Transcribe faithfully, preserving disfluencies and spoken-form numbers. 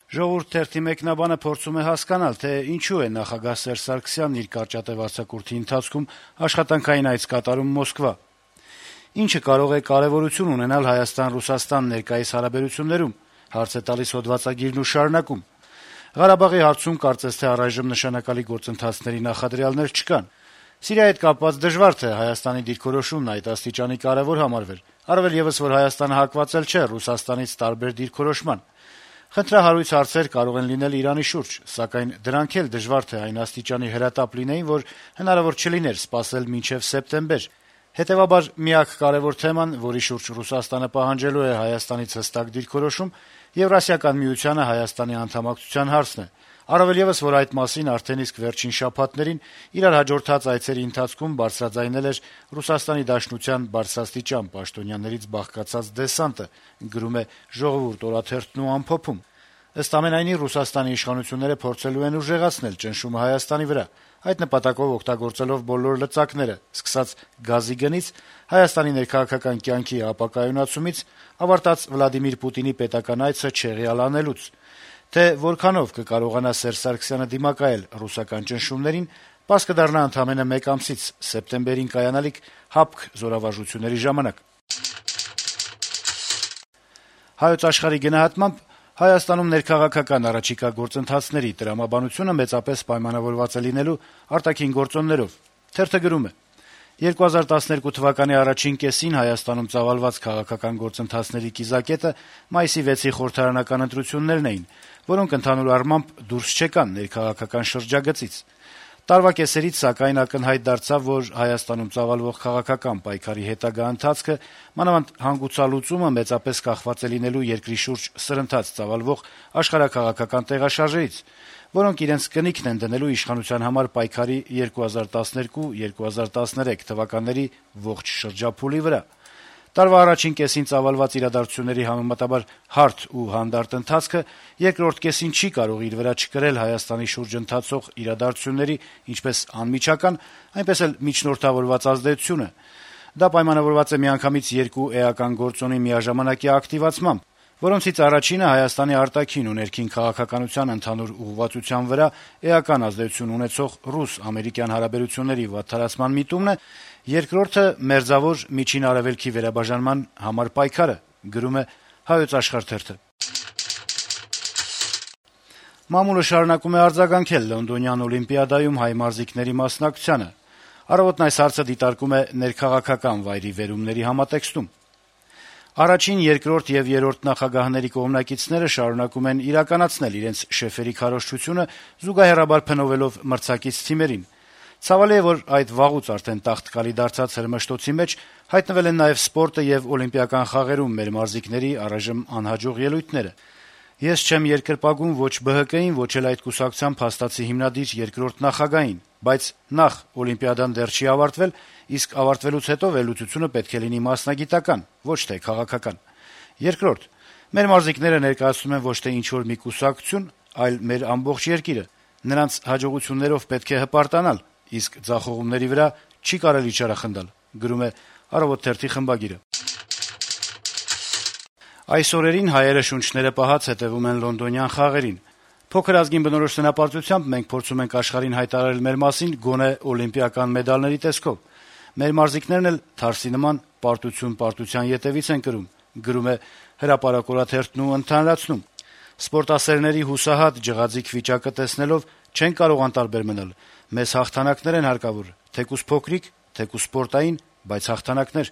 Ժողովուրդ թերթի մեկնաբանը փորձում է հասկանալ, թե ինչու է նախագահ Սերժ Սարգսյանն իր կարճատև արձակուրդի ընթացքում աշխատանքային այց կատարում Մոսկվա։ Ինչը կարող է կարեւորություն ունենալ Հայաստան-Ռուսաստան ներկայիս հարաբերություններում, հարց է տալիս հոդվածագիրն ու շարունակում. Ղարաբաղի հարցում կարծես թե առայժմ նշանակալի գործընթացների նախադրյալներ չկան։ Սիրիայի հետ կապված դժվար թե Հայաստանի դիրքորոշումն այդ աստիճանի կարեւոր համարվեր, առավել եւս որ Հայաստանը հակված չէ Ռուսաստանից տարբեր դիրքորոշման։ Խնդրահարույց հարցեր կարող են լինել Իրանի շուրջ, սակայն դրանք էլ դժվար թե այն աստիճանի հրատապ լինեին, որ հնարավոր չլիներ սպասել մինչեւ սեպտեմբեր։ Հետեւաբար միակ կարեւոր թեման, որի շուրջ Ռուսաստանը պահանջելու է Հայաստանից հստակ դիրքորոշում, Եվրասիական միությանը Հայաստանի անդամակցության հարցն է։ Առավել եւս, որ այդ մասին արդեն իսկ վերջին շաբաթներին իրար հաջորդած այցերի ընթացքում բարձրաձայնել էր Ռուսաստանի Դաշնության բարձրաստիճան պաշտոնյաներից բաղկացած դեսանտը, գրում է «Ժողովուրդ» օրաթերթն ու ամփոփում։ Ըստ ամենայնի, Ռուսաստանի իշխանությունները փորձելու են ուժեղացնել ճնշումը Հայաստանի վրա, այդ նպատակով օգտագործելով բոլոր լծակները, սկսած գազի գնից, Հայաստանի ներքաղաքական կյանքի ապակայունացումից, ավարտած Վլադիմիր Պուտինի պետական այցը չեղյալ անելուց։ Թե որքանով կկարողանա Սերժ Սարգսյանը դիմակայել ռուսական ճնշումներին, պարզ կդառնա ընդամենը մեկ ամսից, սեպտեմբերին կայանալիք հապկ զորավարժությունների ժամանակ։ Հայոց Աշխարհի գնահատմամբ Հայաստանում ներքաղաքական առաջիկա գործընթացների տրամաբանությունը մեծապես պայմանավորված է լինելու արտաքին գործոններով։ Թերթը գրում է. երկու հազար տասներկու թվականի առաջին կեսին Հայաստանում ծավալված քաղաքական գործընթացների կիզակետը մայիսի վեցի խորհրդարանական ընտրություններն էին, որոնք ընդհանուր առմամբ դուրս չեկան ներքաղաքական շրջագծից։ Տարվա կեսերից, սակայն, ակնհայտ դարձավ, որ Հայաստանում ծավալվող քաղաքական պայքարի հետագա ընթացքը, մանավանդ հանգուցալուծումը մեծապես կախված է լինելու երկրի շուրջ սրընթաց ծավալվող աշխարհաքաղաքական տեղաշարժերից, որոնք իրենց կնիքն են դնելու իշխանության համար պայքարի երկու հազար տասներկու երկու հազար տասներեք թվականների ողջ շրջափուլի վրա։ Տարվա առաջին կեսին ծավալված իրադարձությունների համեմատաբար հարթ ու հանդարտ ընթացքը երկրորդ կեսին չի կարող իր վրա չկրել Հայաստանի շուրջ ընթացող իրադարձությունների ինչպես անմիջական, այնպես էլ միջնորդավորված ազդեցությունը։ Դա պայմանավորված է միանգամից երկու էական գործոնի միաժամանակյա ակտիվացմամբ, որոնցից առաջինը Հայաստանի արտաքին ու ներքին քաղաքականության ընդհանուր ուղղվածության վրա էական ազդեցություն ունեցող ռուս-ամերիկյան հարաբերությունների վատթարացման միտումն է, երկրորդը մերձավոր Միջին Արևելքի վերաբաժանման համար պայքարը, գրում է Հայոց Աշխարհ թերթը։ Մամուլը շարունակում է արձագանքել Լոնդոնյան օլիմպիադայում հայ մարզիկների մասնակցությանը։ Առավոտն այս հարցը դիտարկում է ներքաղաքական վայրի վերումների համատեքստում։ Առաջին, երկրորդ եւ երրորդ նախագահների կողմնակիցները շարունակում են իրականացնել իրենց շեֆերի քարոզչությունը, զուգահեռաբար փնովելով մրցակից թիմերին։ Ցավալի է, որ այդ վաղուց արդեն տաղտկալի դարձած հրմշտոցի մեջ հայտնվել են նաեւ սպորտը եւ օլիմպիական խաղերում մեր մարզիկների առայժմ անհաջող ելույթները։ Ես չեմ երկրպագում ոչ Բ Հ Կ-ին, ոչ էլ այդ կուսակցության փաստացի հիմնադիր երկրորդ նախագահին, բայց նախ օլիմպիադան դեռ չի ավարտվել, իսկ ավարտվելուց հետո վերլուծությունը պետք է լինի մասնագիտական, ոչ թե քաղաքական։ Երկրորդ, մեր մարզիկները ներկայացնում են ոչ թե ինչ-որ մի կուսակցություն, այլ մեր ամբողջ երկիրը։ Նրանց հաջողություններով պետք է հպարտանալ, իսկ ձախողումների վրա չի կարելի չարախնդալ, գրում է «Առավոտ» թերթի խմբագիրը։ Այս օրերին հայերը շունչները պահած հետևում են լոնդոնյան խաղերին։ Փոքր ազգին բնորոշ սնապարտությամբ մենք փորձում ենք աշխարհին հայտարարել մեր մասին գոնե օլիմպիական մեդալների տեսքով։ Մեր մարզիկներն էլ թարսի նման պարտություն պարտության ետևից են կրում, գրում է «Հրապարակ»-օրաթերթն ու ընդհանրացնում. Սպորտասերների հուսահատ ջղաձիգ վիճակը տեսնելով չեն կարող անտարբեր մնալ։ Մեզ հաղթանակներ են հարկավոր, թեկուզ փոքրիկ, թեկուզ սպորտային, բայց հաղթանակներ։